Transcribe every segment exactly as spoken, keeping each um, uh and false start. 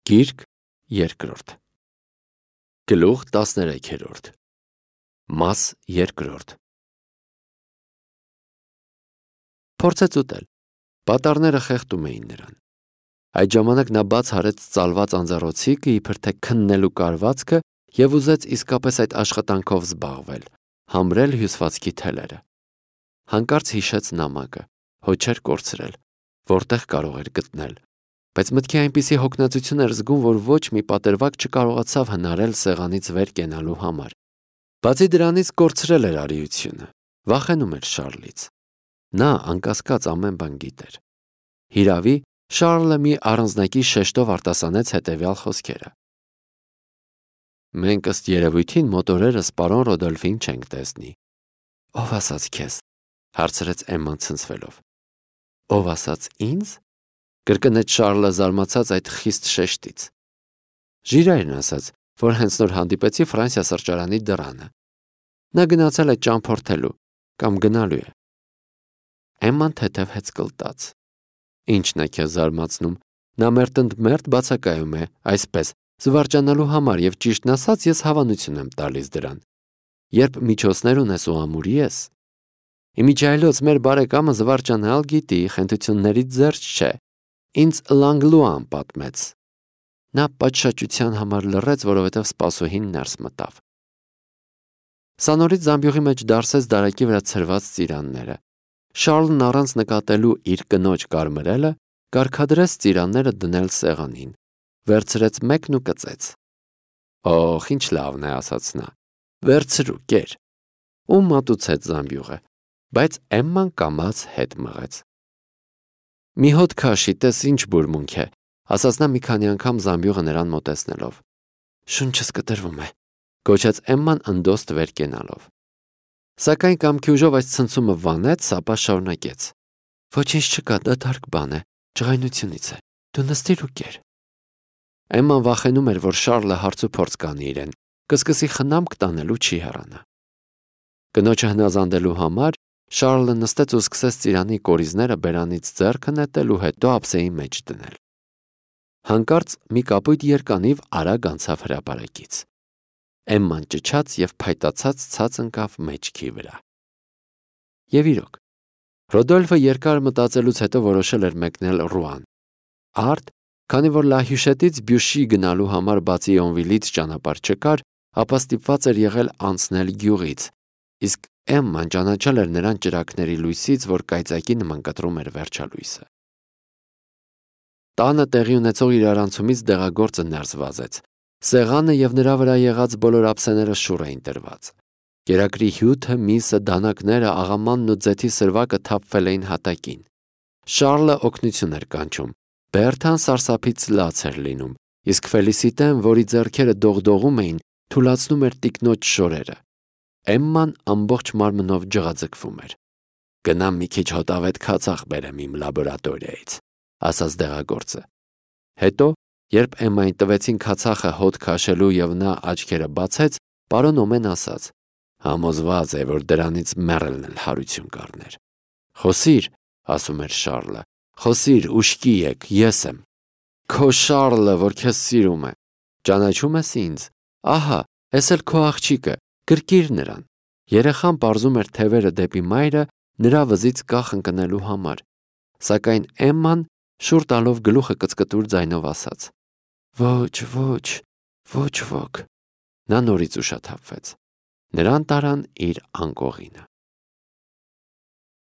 Գիրք երկրորդ Գլուխ տասներեքերորդ Մաս երկրորդ Փորձեց ուտել, պատառները խեղդում էին նրան։ Այդ ժամանակ նա բաց արեց ծալված անձեռոցիկը, իբր թե քննելու կարվածքը և ուզեց իսկապես այդ աշխատանքով զբաղվել, համրել հյուսվածքի թելերը։ Հանկարծ հիշեց նամակը, հո չէր կորցրել, որտեղ կարող էր գտնել, բայց մտքի այնպիսի հոգնածություն էր զգում, որ ոչ մի պատրվակ չկարողացավ հնարել սեղանից վեր կենալու համար։ Բացի դրանից կորցրել էր արիությունը, վախենում էր Շառլից։ Նա անկասկած ամեն բան գիտեր։ Հիրավի, Շառլը մի առանձնակի շեշտով արտասանեց հետևյալ խոսքերը. «Մենք ըստ երևույթին մոտորերս պարոն Ռոդոլֆին չենք տեսնի»։ «Ով ասաց քեզ»։ հարցրեց Էմման ցնցվելով։ «Ով ասաց ինձ»։ Կրկնեց Շառլը զարմացած այդ խիստ շեշտից։ Ժիրայրն ասաց, որ հենց նոր հանդիպեցի Ֆրանսիա սրճարանի դռանը։ Նա գնացել է ճամփորդելու կամ գնալու է։ Էմման թեթև հեծկլտաց։ Ինչն է քեզ զարմացնում։ Նա մերթընդմերթ բացակայում է, այսպես, զվարճանալու համար և ճիշտն ասած ես հավանություն եմ տալիս դրան։ Երբ միջոցներ ունես ու ամուրի ես։ Իմիջիայլոց մեր բարեկամը զվարճանալ գիտի, խենթություններից զերծ չէ։ Ինձ Լանգլուան պատմեց։ Նա պատշաճության համար լռեց, որովհետև սպասուհին ներս մտավ։ Սա նորից զամբյուղի մեջ դարսեց դարակի վրա ցրված ծիրանները։ Շառլն առանց նկատելու իր կնոջ կարմրելը, կարգադրեց ծիրանները դնել սեղանին, վերցրեց մեկն ու կծեց։ Օխ, ինչ լավն է, ասաց նա։ Վերցրու, կեր։ Ու մատուցեց զամբյուղը, բայց Էմման կամաց հետ մղեց։ Մի հոտ քաշի, տես ինչ բուրմունք է, ասաց նա մի քանի անգամ զամբյուղը նրան մոտեցնելով։ Շունչս կտրվում է, գոչեց Էմման ընդոստ վեր կենալով։ Սակայն կամքի ուժով այս ցնցումը վանեց, ապա շարունակեց։ Ոչինչ չկա, դատարկ բան է, ջղայնությունից է, դու նստիր ու կեր։ Էմման վախենում էր, որ Շառլը հարցուփորձ կանի իրեն, կսկսի խնամք տանելու չի հեռանա։ Կնոջը հնազանդելու համար Շառլը նստեց ու սկսեց ծիրանի կորիզները բերանից ձեռքը նետել ու հետո ափսեի մեջ դնել։ Հանկարծ մի կապույտ երկանիվ արագ անցավ հրապարակից։ Էմման ճչաց և փայտացած ցած ընկավ մեջքի վրա։ Եվ իրոք, Ռոդոլֆը երկար մտածելուց հետո որոշել էր մեկնել Ռուան։ Արդ, քանի որ Լահյուշետից Բյուշի գնալու համար բացի Օնվիլից ճանապարհ չկար, ապա ստիպված էր եղել անցնել գյուղից, իսկ Էմման ճանաչել էր նրան ճրագների լույսից, որ կայծակի նման կտրում էր վերջալույսը։ Տանը տեղի ունեցող իրարանցումից դեղագործը ներս վազեց։ Սեղանը և նրա վրա եղած բոլոր ափսեները շուռ էին տրված։ Կերակրի հյութը, միսը, դանակները, աղամանն ու ձեթի սրվակը թափվել էին հատակին։ Շառլը օգնություն էր կանչում։ Բերթան սարսափից լաց էր լինում, իսկ Ֆելիսիտեն, որի ձեռքերը դողդողում էին, թուլացնում էր տիկնոջ շորերը։ Էմման ամբողջ մարմնով ջղաձգվում էր։ Գնամ մի քիչ հոտավետ քացախ բերեմ իմ լաբորատորիայից, ասաց դեղագործը։ Հետո, երբ Էմմային տվեցին քացախը հոտ քաշելու և նա աչքերը բացեց, պարոն Օմեն ասաց. Համոզված է, որ դրանից մեռելն էլ հարություն կառներ։ Խոսիր, ասում էր Շառլը, խոսիր, ուշքի եկ, ես եմ։ Քո Շառլը, որ քեզ սիրում է։ Ճանաչում ես ինձ։ Ահա, էս էլ քո աղջիկը, գրկիր նրան։ Երեխան պարզում էր թևերը դեպի մայրը նրա վզից կախ ընկնելու համար, սակայն Էմման շուռ տալով գլուխը կծկտուր ձայնով ասաց. Ոչ, ոչ, ոչ ոք։ Նա նորից ուշաթափվեց։ Նրան տարան իր անկողինը։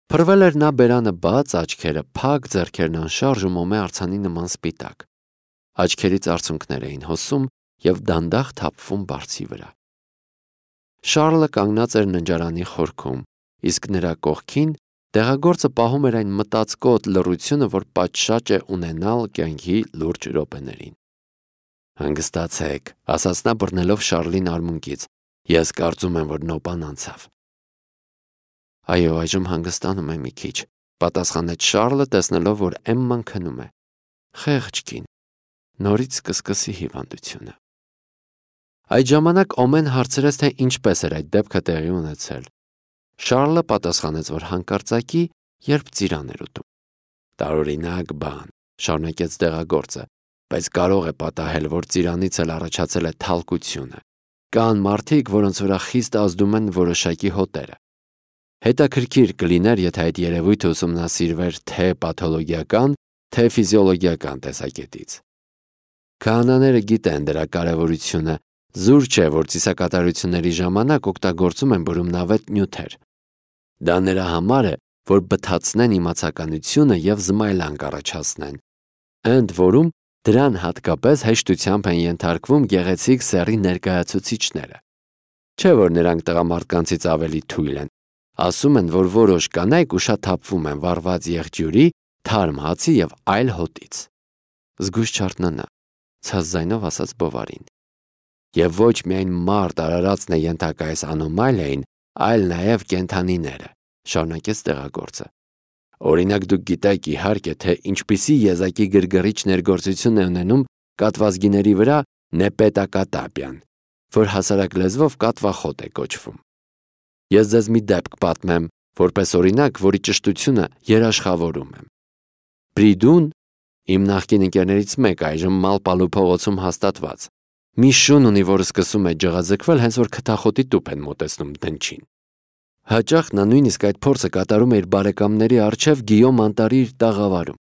Փռվել էր նա բերանը բաց, աչքերը փակ, ձեռքերն անշարժ ու մոմե արձանի նման սպիտակ։ Աչքերից արցունքներ էին հոսում և դանդաղ թափվում բարձի վրա։ Շառլը կանգնած էր ննջարանի խորքում, իսկ նրա կողքին դեղագործը պահում էր այն մտածկոտ լռությունը, որ պատշաճ է ունենալ կյանքի լուրջ րոպեներին։ Հանգստացեք, ասաց նա բռնելով Շառլին արմունկից, ես կարծում եմ, որ նոպան անցավ։ Այո, այժմ հանգստանում եմ մի քիչ, պատասխանեց Շառլը, տեսնելով, որ Էմման քնում է։ Խեղճ կին, նորից կսկսի հիվանդությունը։ Այդ ժամանակ Օմեն հարցրեց, թե ինչպես էր այդ դեպքը տեղի ունեցել։ Շառլը պատասխանեց, որ հանկարծակի, երբ ծիրան էր ուտում։ Տարօրինակ բան, շարունակեց դեղագործը, բայց կարող է պատահել, որ ծիրանից էլ առաջացել է թալկությունը։ Կան մարդիկ, որոնց վրա խիստ ազդում են որոշակի հոտերը։ Հետաքրքիր կլիներ, եթե այդ երևույթը ուսումնասիրվեր թե պաթոլոգիական, թե ֆիզիոլոգիական տեսակետից։ Քահանաները գիտեն դրա կարևորությունը, զուր չէ, որ ծիսակատարությունների ժամանակ օգտագործում են բրումնավետ նյութեր։ Դա նրա համար է, որ բթացնեն իմացականությունը և զմայլանք առաջացնեն, ընդ որում դրան հատկապես հեշտությամբ են ենթարկվում գեղեցիկ սեռի ներկայացուցիչները։ Չէ, որ նրանք տղամարդկանցից ավելի թույլ են, ասում են, որ որոշ կանայք ուշաթափվում են վառված եղջյուրի, թարմ հացի և այլ հոտից։ Զգույշ չարթնանա, ցած ձայնով ասաց Բովարին։ Եվ ոչ միայն մարդ արարածն է ենթակա այս անոմալիային, այլ նաև կենդանիները, շարունակեց տեղագործը։ Օրինակ դուք գիտեք իհարկե, թե ինչպիսի եզակի գրգռիչ ներգործություն է ունենում կատվազգիների վրա նեպետակատապիան, որ հասարակ լեզվով կատվախոտ է կոչվում։ Ես ձեզ մի դեպք պատմեմ, որպես օրինակ, որի ճշտությունը երաշխավորում եմ։ Բրիդուն, իմ նախկին ընկերներից մեկ այժմ Մալպալու փողոցում հաստատված, մի շուն ունի, որը սկսում է ջղաձգվել, հենց որ քթախոտի տուփ են մոտեցնում դնչին։ Հաճախ նա նույնիսկ այդ փորձը կատարում է իր բարեկամների առջև Գիյոմ անտառի իր տաղավարում։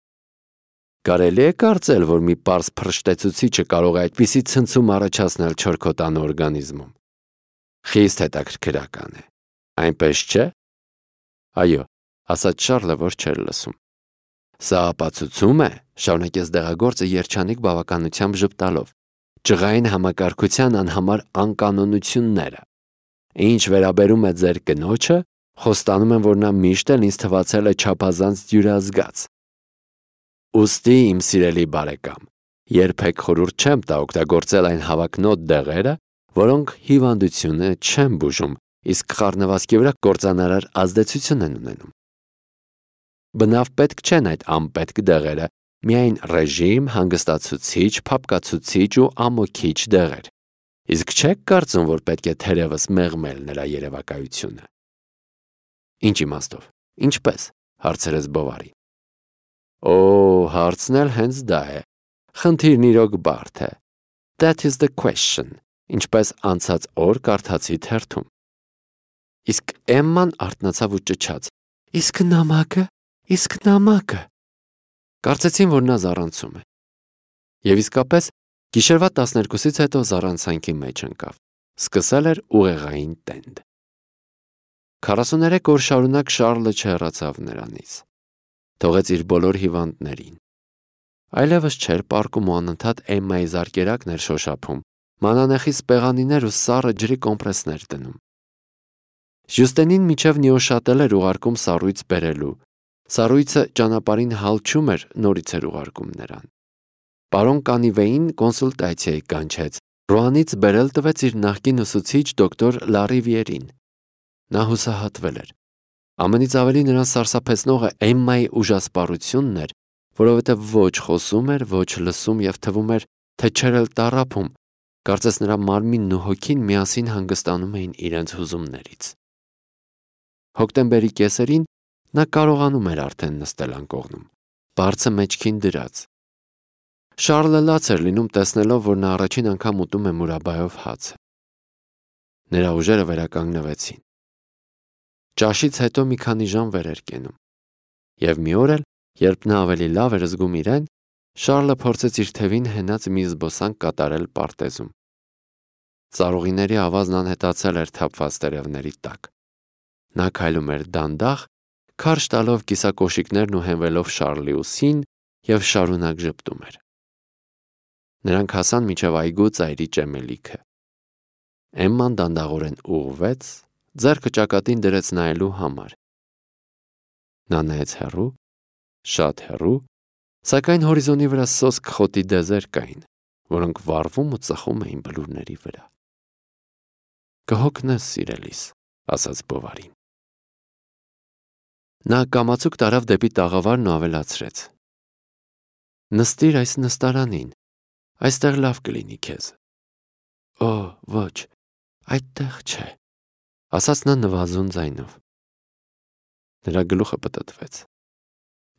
Կարելի է կարծել, որ մի պարզ փռշտեցուցիչը կարող է այդպիսի ցնցում առաջացնել չորքոտան օրգանիզմում։ Խիստ հետաքրքրական է, այնպես չէ։ Այո, ասաց Շառլը, որ չէր լսում։ Սա ապացուցում է, շարունակեց դեղագործը երջանիկ բավականությամբ ժպտալով, ջղային համակարգության անհամար անկանոնությունները։ Ինչ վերաբերում է ձեր կնոջը, խոստանում եմ, որ նա միշտ էլ ինձ թվացել է չափազանց դյուրազգաց։ Ուստի, իմ սիրելի բարեկամ, երբեք խորհուրդ չեմ տա օգտագործել այն հավակնոտ դեղերը, որոնք հիվանդությունը չեն բուժում, իսկ խառնվածքի վրա կործանարար ազդեցություն են ունենում։ Բնավ պետք չեն այդ անպետք դեղերը, միայն ռեժիմ, հանգստացուցիչ, փափկացուցիչ ու ամոքիչ դեղեր։ Իսկ չեք կարծում, որ պետք է թերևս մեղմել նրա երևակայությունը։ Ինչ իմաստով, ինչպես, հարցրեց Բովարին։ Օ, հարցն էլ հենց դա է։ Խնդիրն իրոք բարդ է։ That is the question, ինչպես անցած օր կարդացի թերթում։ Իսկ Էմման արթնացավ ու ճչաց. Իսկ նամակը, իսկ նամակը։ Կարծեցին, որ նա զառանցում է։ Եվ իսկապես գիշերվա տասներկուսից հետո զառանցանքի մեջ ընկավ։ Սկսել էր ուղեղային տենդ։ քառասուներեք օր շարունակ Շառլը չհեռացավ նրանից։ Թողեց իր բոլոր հիվանդներին։ Այլևս չէր պառկում ու անընդհատ Էմմայի զարկերակն էր շոշափում, մանանեխի սպեղանիներ ու սառը ջրի կոմպրեսներ դնում։ Ժյուստենին մինչև նիոշատել էր ուղարկում սառույց բերելու։ Սառույցը ճանապարհին հալչում էր, նորից էր ուղարկում նրան։ Պարոն Կանիվեին կոնսուլտացիայի կանչեց, Ռուանից բերել տվեց իր նախկին ուսուցիչ դոկտոր Լարիվիերին։ Նա հուսահատվել էր։ Ամենից ավելի նրան սարսափեցնողը Էմմայի ուժասպառությունն էր, որովհետև ոչ խոսում էր, ոչ լսում և թվում էր, թե չէր էլ տառապում, կարծես նրա մարմինն ու հոգին միասին հանգստանում էին իրենց հուզումներից։ Հոկտեմբերի կեսերին նա կարողանում էր արդեն նստել անկողնում, բարձը մեջքին դրած։ Շառլը լաց էր լինում տեսնելով, որ նա առաջին անգամ ուտում է մուրաբայով հացը։ Նրա ուժերը վերականգնվեցին։ Ճաշից հետո մի քանի ժամ վեր էր կենում։ Եվ մի օր էլ, երբ նա ավելի լավ էր զգում իրեն, Շառլը փորձեց իր թևին հենած մի զբոսանք կատարել պարտեզում։ Ծառուղիների ավազն անհետացել էր թափված տերևների տակ։ Նա քայլում էր դանդաղ, քարշ տալով կիսակոշիկներն ու հենվելով Շառլի ուսին և շարունակ ժպտում էր։ Նրանք հասան մինչև այգու ծայրի ճեմելիքը։ Էմման դանդաղորեն ուղղվեց, ձեռքը ճակատին դրեց նայելու համար։ Նա նայեց հեռու, շատ հեռու, սակայն հորիզոնի վրա սոսկ խոտի դեզեր կային, որոնք վառվում ու ծխում էին բլուրների վրա։ Կհոգնես, սիրելիս, ասաց Բովարին։ Նա կամացուկ տարավ դեպի տաղավարն ու ավելացրեց. Նստիր այս նստարանին, այստեղ լավ կլինի քեզ։ Օ, ոչ, այդտեղ չէ, ասաց նա նվազուն ձայնով։ Նրա գլուխը պտտվեց։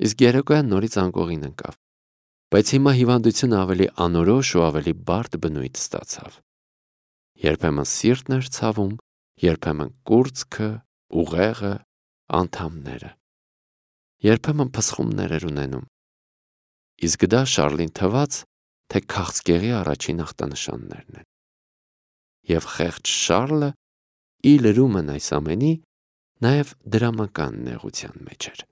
Իսկ երեկոյան նորից անկողին ընկավ։ Բայց հիմա հիվանդությունը ավելի անորոշ ու ավելի բարդ բնույթ ստացավ։ Երբեմն սիրտն էր ցավում, երբեմն կուրծքը, ուղեղը, անդամները։ Երբեմն փսխումներ էր ունենում։ Իսկ դա Շառլին թվաց, թե քաղցկեղի առաջին ախտանշաններն են։ Եվ խեղճ Շառլը ի լրումն այս ամենի նաև դրամական նեղության մեջ էր։